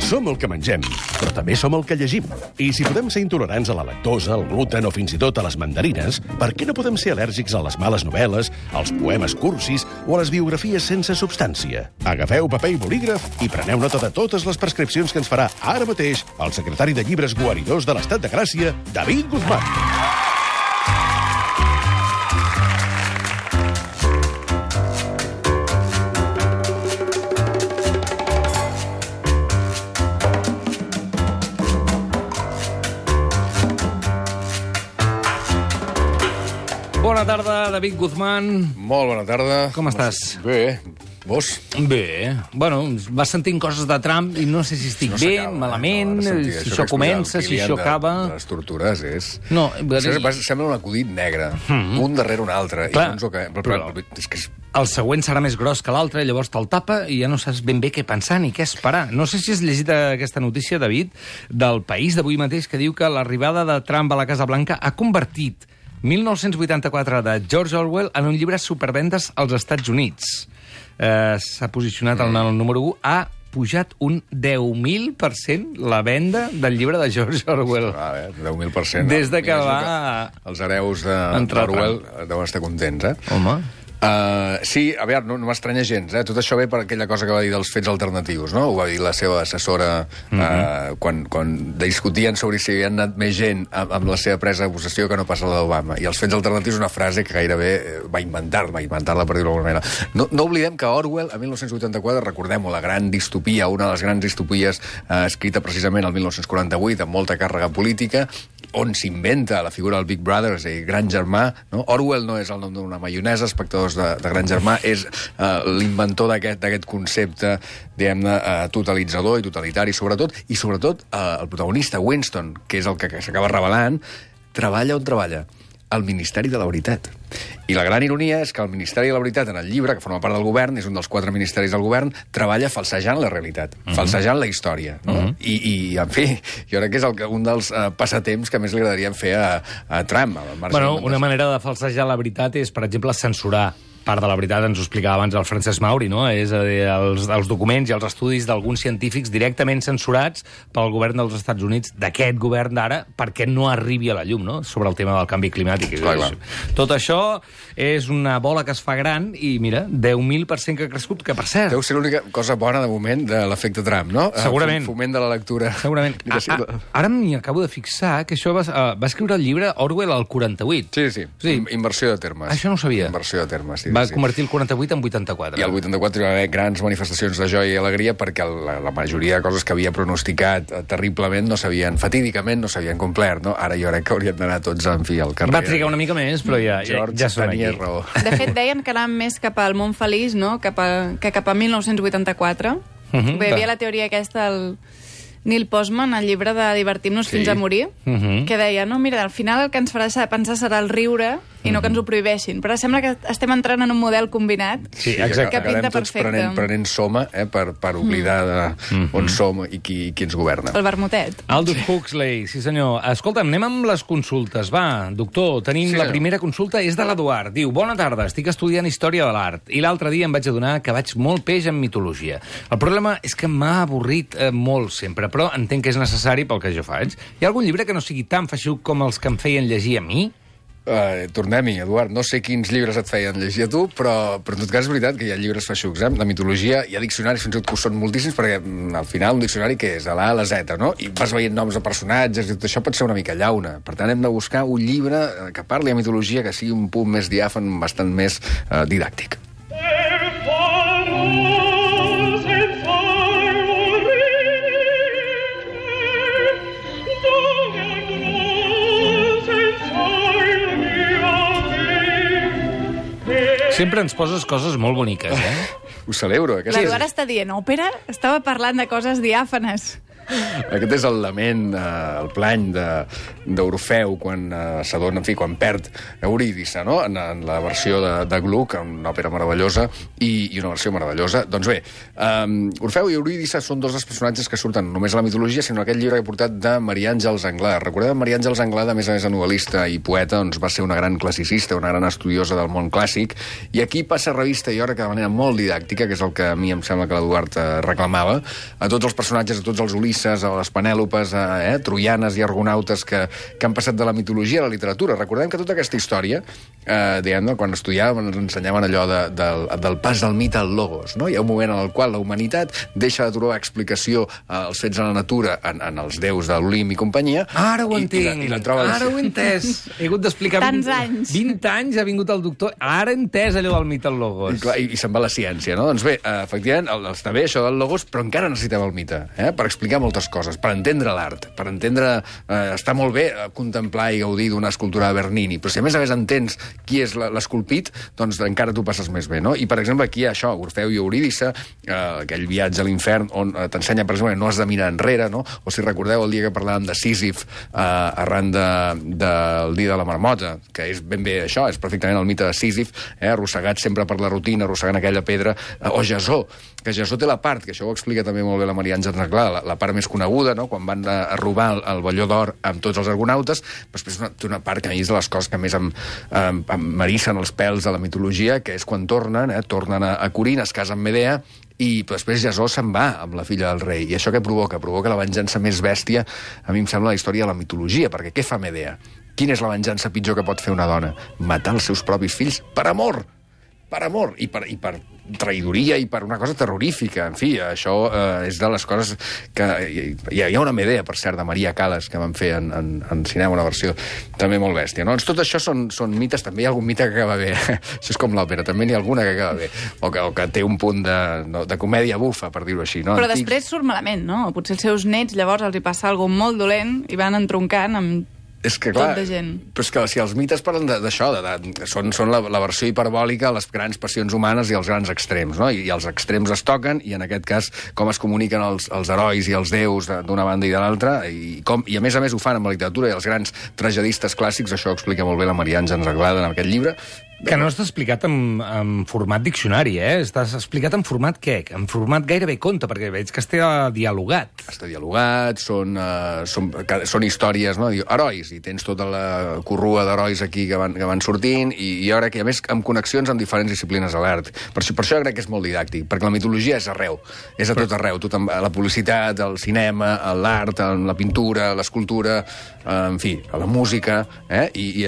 Som el que mengem, però també som el que llegim. I si podem ser intolerants a la lactosa, al gluten o fins i tot a les mandarines, per què no podem ser al·lèrgics a les males novel·les, als poemes cursis o a les biografies sense substància? Agafeu paper i bolígraf i preneu nota de totes les prescripcions que ens farà ara mateix el secretari de Llibres Guaridors de l'Estat de Gràcia, David Guzmán. Bona tarda, David Guzmán. Molt bona tarda. Com estàs? Bé. Vos? Bé. Bueno, vas sentint coses de Trump i no sé si estic bé, malament, si això comença, si això acaba... De les tortures és... No, sembla un acudit negre, un darrere un altre. Clar, és que és... El següent serà més gros que l'altre, llavors te'l tapa i ja no saps ben bé què pensar ni què esperar. No sé si has llegit aquesta notícia, David, del País d'avui mateix, que diu que l'arribada de Trump a la Casa Blanca ha convertit 1984 de George Orwell en un llibre supervendes als Estats Units. S'ha posicionat en el número 1, ha pujat un 10.000% la venda del llibre de George Orwell. 10.000%. Des de que va... Els hereus d'Orwell deuen estar contents, eh? Home... Sí, a veure, no m'estranya gens, eh? Tot això ve per aquella cosa que va dir dels fets alternatius, no? Ho va dir la seva assessora quan discutien sobre si hi havia anat més gent amb la seva presa de possessió que no passa la d'Obama. I els fets alternatius és una frase que gairebé va inventar-la per dir-ho d'alguna manera. No oblidem que Orwell, a 1984, recordem-ho, la gran distopia, una de les grans distopies escrita precisament el 1948, amb molta càrrega política, on s'inventa la figura del Big Brother, és a dir, gran germà, no? Orwell no és el nom d'una maionesa, espectadors de gran germà, és l'inventor d'aquest concepte, diguem-ne, totalitzador i totalitari, sobretot el protagonista, Winston, que és el que s'acaba revelant, treballa on treballa? Al Ministeri de la Veritat. I la gran ironia és que el Ministeri de la Veritat, en el llibre, que forma part del govern, és un dels 4 ministeris del govern, treballa falsejant la realitat, falsejant la història. No? I, en fi, jo crec que és un dels passatemps que més li agradaria fer a Trump. Bueno, una manera de falsejar la veritat és, per exemple, censurar part de la veritat, ens ho explicava abans el Francesc Mauri, no? És a dir, els documents i els estudis d'alguns científics directament censurats pel govern dels Estats Units, d'aquest govern d'ara, perquè no arribi a la llum, no?, sobre el tema del canvi climàtic. Clar. Tot això és una bola que es fa gran i, mira, 10.000% que ha crescut, que, per cert... Deu ser l'única cosa bona, de moment, de l'efecte Trump, no? Segurament. Foment de la lectura. Segurament. Ara m'hi acabo de fixar que això va escriure el llibre Orwell al 48. Sí. Inversió de termes. Això no ho sabia. Inversió de termes, sí. Va convertir el 48 en 84. I el 84 hi va haver grans manifestacions de joia i alegria perquè la majoria de coses que havia pronosticat terriblement fatídicament no s'havien complert, no? Ara jo crec que haurien d'anar tots, en fi, al carrer. Va trigar una mica més, però ja som aquí. Raó. De fet, deien que anàvem més cap al món feliç, no?, que cap a 1984. Hi havia la teoria aquesta del Neil Postman, el llibre de Divertim-nos fins a morir, que deia, no, mira, al final el que ens farà pensar serà el riure i no que ens ho prohibeixin. Però sembla que estem entrant en un model combinat que pinta perfecte. Prenent soma per oblidar on som i qui ens governa. El vermutet. Aldous Huxley, sí senyor. Escolta'm, anem amb les consultes. Va, doctor, tenim la primera consulta, és de l'Eduard. Diu, bona tarda, estic estudiant Història de l'Art i l'altre dia em vaig adonar que vaig molt peix en mitologia. El problema és que m'ha avorrit molt sempre, però entenc que és necessari pel que jo faig. Hi ha algun llibre que no sigui tan feixuc com els que em feien llegir a mi? Tornem-hi, Eduard. No sé quins llibres et feien llegir a tu, però en tot cas és veritat que hi ha llibres feixucs, eh? De mitologia, hi ha diccionaris, fins i tot que són moltíssims, perquè al final un diccionari que és de l'A a la Z, no? I vas veient noms de personatges i tot això pot ser una mica llauna. Per tant, hem de buscar un llibre que parli de mitologia, que sigui un punt més diàfan, bastant més didàctic. Sempre ens poses coses molt boniques, eh? Ho celebro. L'Eduard està dient òpera? Estava parlant de coses diàfanes. Aquest és el lament, el plany d'Orfeu quan s'adona, en fi, quan perd Eurídice, no? En la versió de Gluck, una òpera meravellosa i una versió meravellosa. Doncs bé, Orfeu i Eurídice són dos dels personatges que surten només a la mitologia, sinó aquest llibre que he portat de Maria Àngels Anglada. Recordeu, Maria Àngels Anglada, a més de novel·lista i poeta, doncs va ser una gran classicista, una gran estudiosa del món clàssic, i aquí passa a revista i hora que de manera molt didàctica, que és el que a mi em sembla que l'Eduard reclamava, a tots els personatges, a tots els Ulisses, a les Penèlopes, troianes i argonautes que han passat de la mitologia a la literatura. Recordem que tota aquesta història, quan estudiàvem, ens ensenyaven allò del pas del mite al logos, no? Hi ha un moment en el qual la humanitat deixa de trobar explicació als fets de la natura en els déus de l'Olimp i companyia. Ara ho entenc, ara ho he entès. He hagut d'explicar... Tants anys. 20 anys ha vingut el doctor, ara he entès allò del mite al logos. I se'n va la ciència, no? Doncs bé, efectivament, està bé això del logos, però encara necessitem el mite, per explicar moltes coses, per entendre l'art, per entendre... Està molt bé contemplar i gaudir d'una escultura de Bernini, però si a més entens qui és l'esculpit, doncs encara t'ho passes més bé, no? I, per exemple, aquí hi ha això, Orfeu i Eurídice, aquell viatge a l'infern on t'ensenya, per exemple, que no has de mirar enrere, no? O si recordeu el dia que parlàvem de Sísif arran del dia de la marmota, que és ben bé això, és perfectament el mite de Sísif, arrossegat sempre per la rutina, arrossegant aquella pedra, o Jasó, que Jasó té la part, que això ho explica també molt bé la Maria Àngels Anglada, la part més coneguda, no? Quan van a robar el velló d'or amb tots els argonautes, però després té una part que a mi és de les coses que més m'erissen els pèls de la mitologia, que és quan tornen a Corint, es casa amb Medea, i després Jasó se'n va amb la filla del rei. I això què provoca? Provoca la venjança més bèstia, a mi em sembla, la història de la mitologia, perquè què fa Medea? Quina és la venjança pitjor que pot fer una dona? Matar els seus propis fills per amor! Per amor, i per traïdoria i per una cosa terrorífica. En fi, això és de les coses que... Hi ha una Medea, per cert, de Maria Callas, que van fer en cinema una versió també molt bèstia. No? Doncs tot això són mites, també hi ha algun mite que acaba bé. Això és com l'òpera, també n'hi ha alguna que acaba bé. O que té un punt de comèdia bufa, per dir-ho així. No? Però després surt malament, no? Potser els seus nets llavors els hi passa alguna molt dolent i van entroncant amb... És que, clar, tot de gent. Però és que si els mites parlen d'això, són la versió hiperbòlica de les grans passions humanes i els grans extrems, no? I els extrems es toquen, i en aquest cas com es comuniquen els herois i els déus d'una banda i de l'altra, i a més ho fan amb la literatura i els grans tragedistes clàssics. Això ho explica molt bé la Maria Àngels Anglada en aquest llibre. Que no està explicat en format diccionari, Està explicat en format què? En format gairebé conte, perquè veig que està dialogat. Està dialogat, són històries, no? Herois, i tens tota la corrua d'herois aquí que van sortint, i ara que, a més, amb connexions amb diferents disciplines de l'art. Per això crec que és molt didàctic, perquè la mitologia és arreu, és a tot arreu, la publicitat, el cinema, l'art, la pintura, l'escultura, en fi, la música, i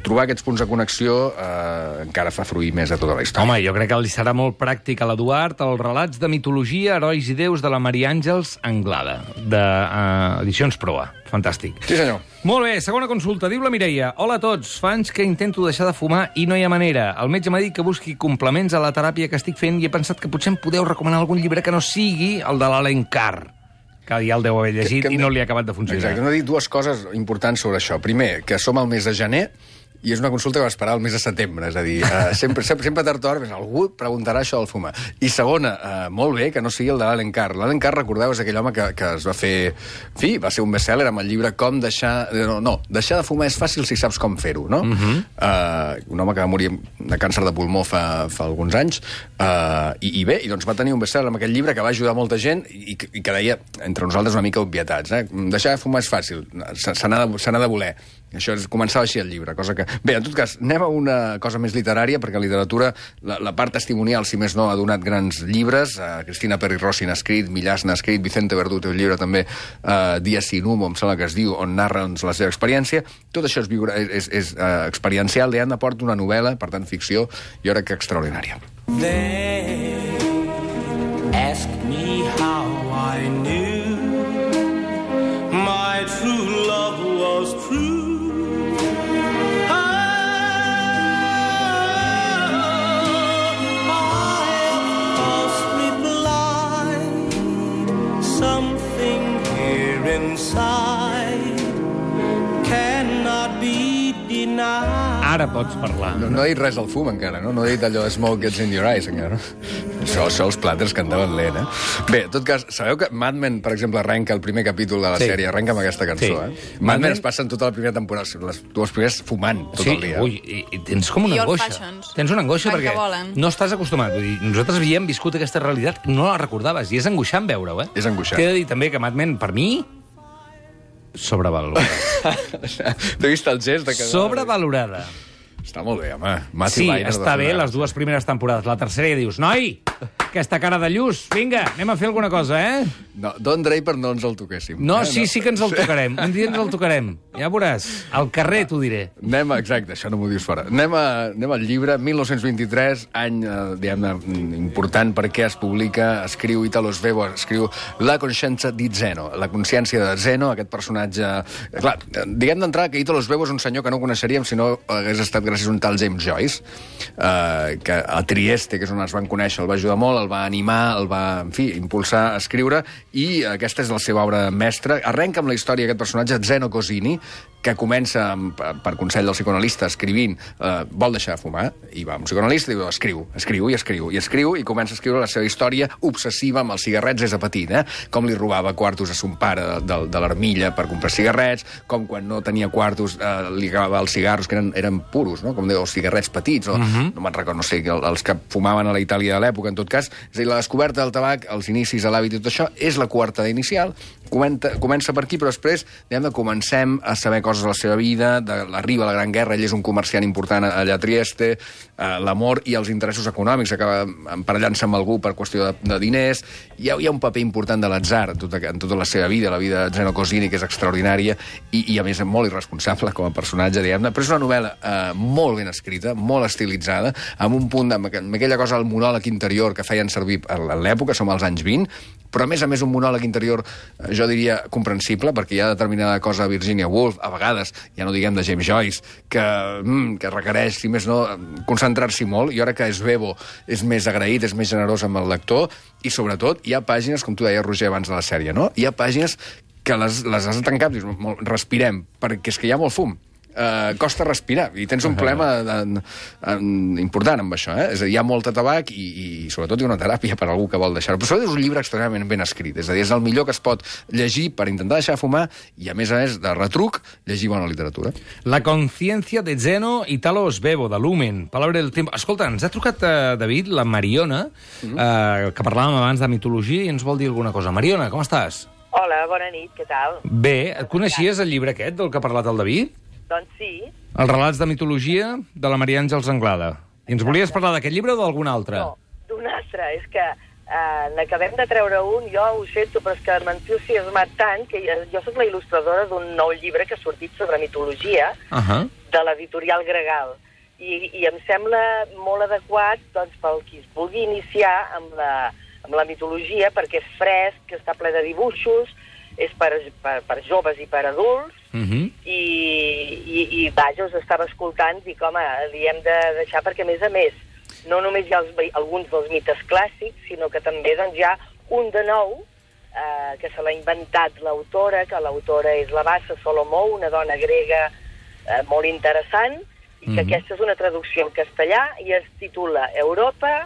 trobar aquests punts de connexió encara fa fruir més a tota la història. Home, jo crec que li serà molt pràctic a l'Eduard els relats de mitologia, herois i déus de la Maria Àngels Anglada, d'Edicions Proa. Fantàstic. Sí, senyor. Molt bé, segona consulta. Diu la Mireia: hola a tots, fa anys que intento deixar de fumar i no hi ha manera. El metge m'ha dit que busqui complements a la teràpia que estic fent i he pensat que potser em podeu recomanar algun llibre que no sigui el de l'Allen Carr, que ja el deu haver llegit i no li ha acabat de funcionar. Exacte, hem de dir dues coses importants sobre això. Primer, que som al mes de gener, i és una consulta que va esperar el mes de setembre, és a dir, sempre tard o d'hora, algú preguntarà això del fumar. I segona, molt bé que no sigui el de l'Allen Carr. L'Allen Carr, recordeu, és aquell home que es va fer... En fi, va ser un best-seller amb el llibre Com deixar... No, deixar de fumar és fàcil si saps com fer-ho, no? Un home que va morir de càncer de pulmó fa alguns anys, i bé, doncs va tenir un best-seller amb aquell llibre que va ajudar molta gent i que deia, entre nosaltres, una mica obvietats. Deixar de fumar és fàcil, se n'ha de voler. Això començava així el llibre, cosa que... Bé, en tot cas, anem a una cosa més literària, perquè la literatura, la part testimonial, si més no, ha donat grans llibres. Cristina Peri Rossi n'ha escrit, Millàs n'ha escrit, Vicente Verdú té un llibre també, Dia sin humo, em sembla que es diu, on narra la seva experiència. Tot això és experiencial, Leanda porta una novel·la, per tant, ficció, i jo crec que extraordinària. They ask me how I knew my true love was true. Ara pots parlar. No he dit res al fum, encara, no? No he dit allò smoke gets in your eyes, encara. Això els plàters cantaven lent, eh? Bé, en tot cas, sabeu que Mad Men, per exemple, arrenca el primer capítol de la sèrie, arrenca amb aquesta cançó, Mad Men es passen tota la primera temporada, les dues primeres fumant tot el dia. Ui, i tens com una angoixa. Tens una angoixa perquè no estàs acostumat. Vull dir, nosaltres havíem viscut aquesta realitat, no la recordaves, i és angoixant veure-ho, És angoixant. T'he de dir també que Mad Men, per mi, sobrevalorada. T'he vist el gest de que... Sobrevalorada. Està molt bé, home. Sí, està bé les dues primeres temporades. La tercera ja dius, noi, aquesta cara de lluç, vinga, anem a fer alguna cosa, No, Don Draper no ens el toquéssim. No, sí que ens el tocarem. Un dia ens el tocarem. Ja veuràs. Al carrer t'ho diré. Exacte, això no m'ho dius fora. Anem al llibre, 1923, any, diguem-ne, important perquè es publica, escriu Italo Svevo, escriu La coscienza di Zeno, la consciència de Zeno, aquest personatge... Clar, diguem d'entrada que Italo Svevo és un senyor que no coneixeríem si no hagués estat gràcies a un tal James Joyce, que a Trieste, que és on es van conèixer, el va ajudar molt, el va animar, el va, en fi, impulsar a escriure, i aquesta és la seva obra mestra. Arrenca amb la història d'aquest personatge, Zeno Cosini, que comença, per consell del psicoanalista, escrivint, vol deixar de fumar, i va a un psicoanalista i diu, escriu, i comença a escriure la seva història obsessiva amb els cigarrets des de petit, com li robava quartos a son pare de l'armilla per comprar cigarrets, com quan no tenia quartos li agafava els cigarros, que eren puros, no? Com deia, els cigarrets petits, o no me'n recordo, no sé, els que fumaven a la Itàlia de l'època, en tot cas. És a dir, la descoberta del tabac, els inicis de l'hàbit i tot això, és la coartada inicial, comença per aquí, però després comencem a saber coses de la seva vida, arriba la Gran Guerra, ell és un comerciant important allà a Trieste, l'amor i els interessos econòmics, acaba emparellant-se amb algú per qüestió de diners, hi ha un paper important de l'atzar en tota la seva vida, la vida de Zeno Cosini, que és extraordinària, i a més molt irresponsable com a personatge, diguem-ne, però és una novel·la molt ben escrita, molt estilitzada, amb un punt, amb aquella cosa, el monòleg interior que feien servir a l'època, som als anys 20, però a més un monòleg interior, jo diria, comprensible, perquè hi ha determinada cosa de Virginia Woolf, a vegades, ja no diguem de James Joyce, que requereix, si més no, concentrar-s'hi molt, i ara que Svevo és més agraït, és més generós amb el lector, i sobretot hi ha pàgines, com tu deies, Roger, abans de la sèrie, no? Hi ha pàgines que les has de tancar, dius, respirem, perquè és que hi ha molt fum. Costa respirar, i tens un problema important amb això, És a dir, hi ha molta tabac i sobretot hi ha una teràpia per a algú que vol deixar-ho. Però sobretot és un llibre extremadament ben escrit, és a dir, és el millor que es pot llegir per intentar deixar de fumar i, a més, de retruc, llegir bona literatura. La conciencia de Zeno, Italo Svevo, de Lumen, Palabra del Tiempo. Escolta, ens ha trucat, David, la Mariona, que parlàvem abans de mitologia, i ens vol dir alguna cosa. Mariona, com estàs? Hola, bona nit, què tal? Bé, et coneixies el llibre aquest del que ha parlat el David? Doncs sí. Els relats de mitologia de la Maria Àngels Anglada. I ens volies parlar d'aquest llibre o d'algun altre? No, d'un altre. És que n'acabem de treure un, jo ho sento, però és que m'entusiasmat tant que jo soc la il·lustradora d'un nou llibre que ha sortit sobre mitologia de l'editorial Gregal. I em sembla molt adequat doncs, pel qui es vulgui iniciar amb la mitologia, perquè és fresc, que està ple de dibuixos, és per joves i per adults, i vaja, us estava escoltant, dic, home, li hem de deixar perquè, a més, no només hi ha alguns dels mites clàssics, sinó que també doncs, hi ha un de nou, que se l'ha inventat l'autora, que l'autora és la Bassa Solomó, una dona grega molt interessant, i que aquesta és una traducció en castellà, i es titula Europa,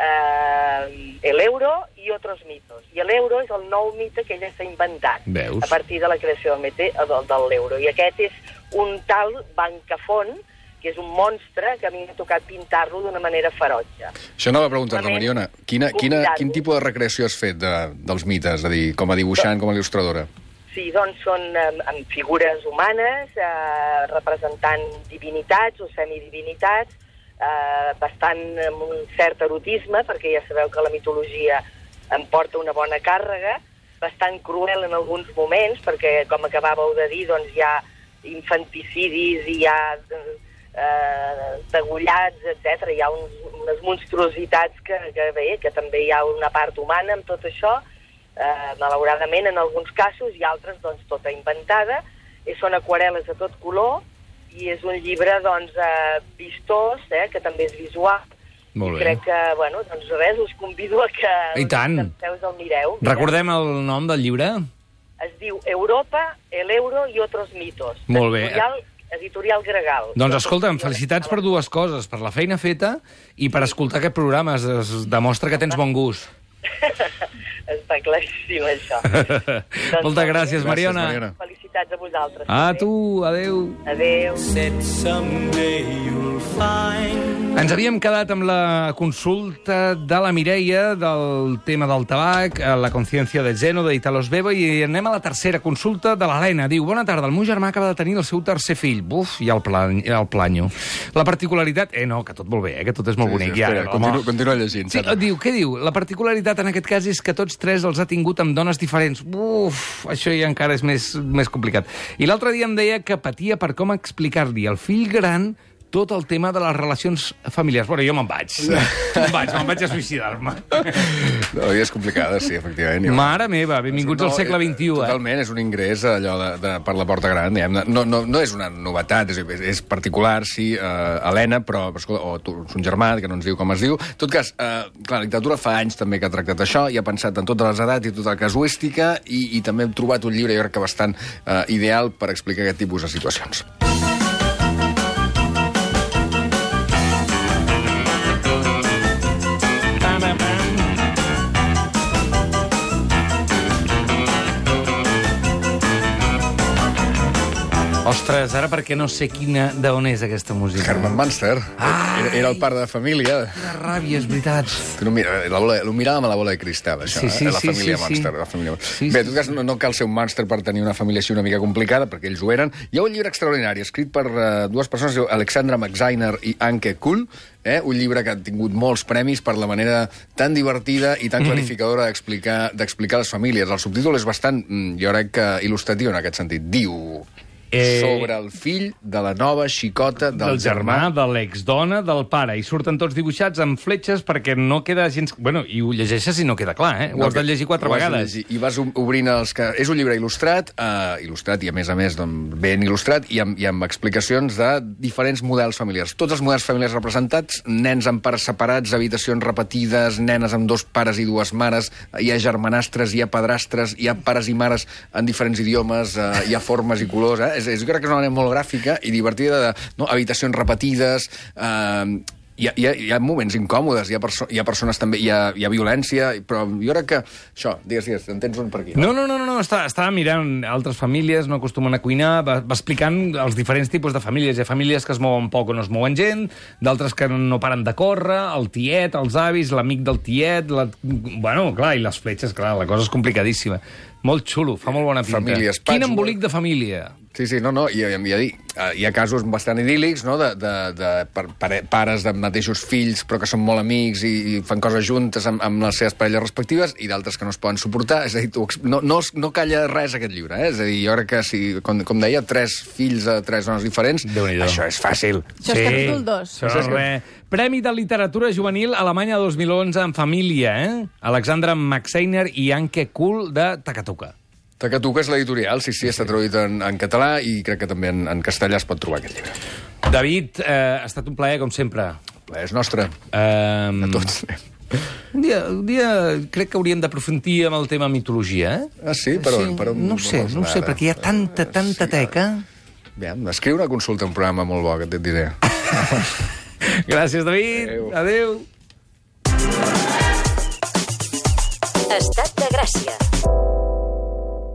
el euro i otros mitos. I l'euro és el nou mite que ella s'ha inventat. Veus? A partir de la creació de l'euro. I aquest és un tal Bancafont, que és un monstre que a mi m'ha tocat pintar-lo d'una manera ferotge. Això no va preguntar-te, Mariona. Quin tipus de recreació has fet dels mites? És a dir, com a dibuixant, com a il·lustradora? Sí, doncs són amb figures humanes, representant divinitats o semidivinitats, bastant amb un cert erotisme, perquè ja sabeu que la mitologia em porta una bona càrrega, bastant cruel en alguns moments, perquè, com acabàveu de dir, doncs hi ha infanticidis, hi ha degollats, etc. Hi ha unes monstruositats que també hi ha una part humana amb tot això, malauradament en alguns casos, i altres doncs tota inventada, i són aquarel·les de tot color, i és un llibre, doncs, vistós, que també és visual. Molt bé. I crec que, bueno, doncs res, us convido a que us el mireu. Recordem el nom del llibre? Es diu Europa, el euro i otros mitos. Molt bé. Editorial Gregal. Doncs escolta'm, felicitats per dues coses, per la feina feta i per escoltar aquest programa. Es demostra que tens bon gust. Està claríssim, això. Moltes gràcies, Mariona. Felicitats a vosaltres. A tu, adeu. Adeu. Said someday you'll find. Ens havíem quedat amb la consulta de la Mireia del tema del tabac, la consciència de Zeno, d'Italo Svevo, i anem a la tercera consulta de l'Helena. Diu, bona tarda, el meu germà acaba de tenir el seu tercer fill. Buf, i el planyo. La particularitat... no, que tot molt bé, que tot és molt bonic. Espera, continua llegint. Sí, què diu? La particularitat en aquest cas és que tots tres els ha tingut amb dones diferents. Uf, això ja encara és més complicat. I l'altre dia em deia que patia per com explicar-li al fill gran tot el tema de les relacions familiars. Bueno, jo me'n vaig a suïcidar-me. No, és complicada, sí, efectivament. Mare meva, benvinguts al segle XXI. Totalment, és un ingrés allò per la porta gran. No és una novetat, és particular, sí, Helena, però o un germà, que no ens diu com es diu. En tot cas, clar, la literatura fa anys també que ha tractat això i ha pensat en totes les edats i tota la casuística i també hem trobat un llibre, jo crec que bastant ideal per explicar aquest tipus de situacions. Ostres, ara perquè no sé d'on és aquesta música. Herman Munster. Era el pare de família. Quina ràbia, és veritat. Lo miràvem a la bola de cristal, això, la família Munster. Bé, en tot cas, no cal ser un Munster per tenir una família així una mica complicada, perquè ells ho eren. Hi ha un llibre extraordinari, escrit per dues persones, Alexandra McZainer i Anke Kuhl, un llibre que ha tingut molts premis per la manera tan divertida i tan clarificadora d'explicar les famílies. El subtítol és bastant, jo crec que il·lustratiu en aquest sentit. Diu... sobre el fill de la nova xicota del germà. De l'exdona del pare. I surten tots dibuixats amb fletxes perquè no queda gens... Bueno, i ho llegeixes i no queda clar, eh? Ho has de llegir 4 vegades. I vas obrint els... És un llibre il·lustrat, i a més, ben il·lustrat, i amb explicacions de diferents models familiars. Tots els models familiars representats, nens amb pares separats, habitacions repetides, nenes amb 2 pares i 2 mares, hi ha germanastres, hi ha padrastres, hi ha pares i mares en diferents idiomes, hi ha formes i colors, jo crec que és una manera molt gràfica i divertida de habitacions repetides, hi ha moments incòmodes, hi ha persones també, hi ha violència, però jo crec que això, digues, en tens un per aquí. No, estava mirant altres famílies, no acostumen a cuinar, va explicant els diferents tipus de famílies. Hi ha famílies que es mouen poc o no es mouen gent, d'altres que no paren de córrer, el tiet, els avis, l'amic del tiet, bueno, clar, i les fletxes, clar, la cosa és complicadíssima. Molt xulo, fa molt bona pinta. Quin embolic de família. Sí, hi ha casos bastant idíl·lics, no?, de pares de mateixos fills però que són molt amics i fan coses juntes amb les seves parelles respectives i d'altres que no es poden suportar. És a dir, no calla res aquest llibre, eh? És a dir, jo crec que si, com deia, 3 fills a 3 dones diferents, això és fàcil. Això és capítol 2. Això és res. Premi de Literatura Juvenil Alemanya 2011 en família, eh? Alexandra McZainer i Anke Kuhl de Takatuka. Takatuka és l'editorial, sí, està traduït en català i crec que també en castellà es pot trobar aquest llibre. David, ha estat un plaer, com sempre. El plaer és nostre. A tots. Un dia crec que hauríem d'aprofundir amb el tema mitologia, eh? Ah, sí? Per on? No sé, perquè hi ha tanta teca. Bé, escriu una consulta, un programa molt bo, que et diré. Gràcies, David. Adéu. Estat de Gràcia.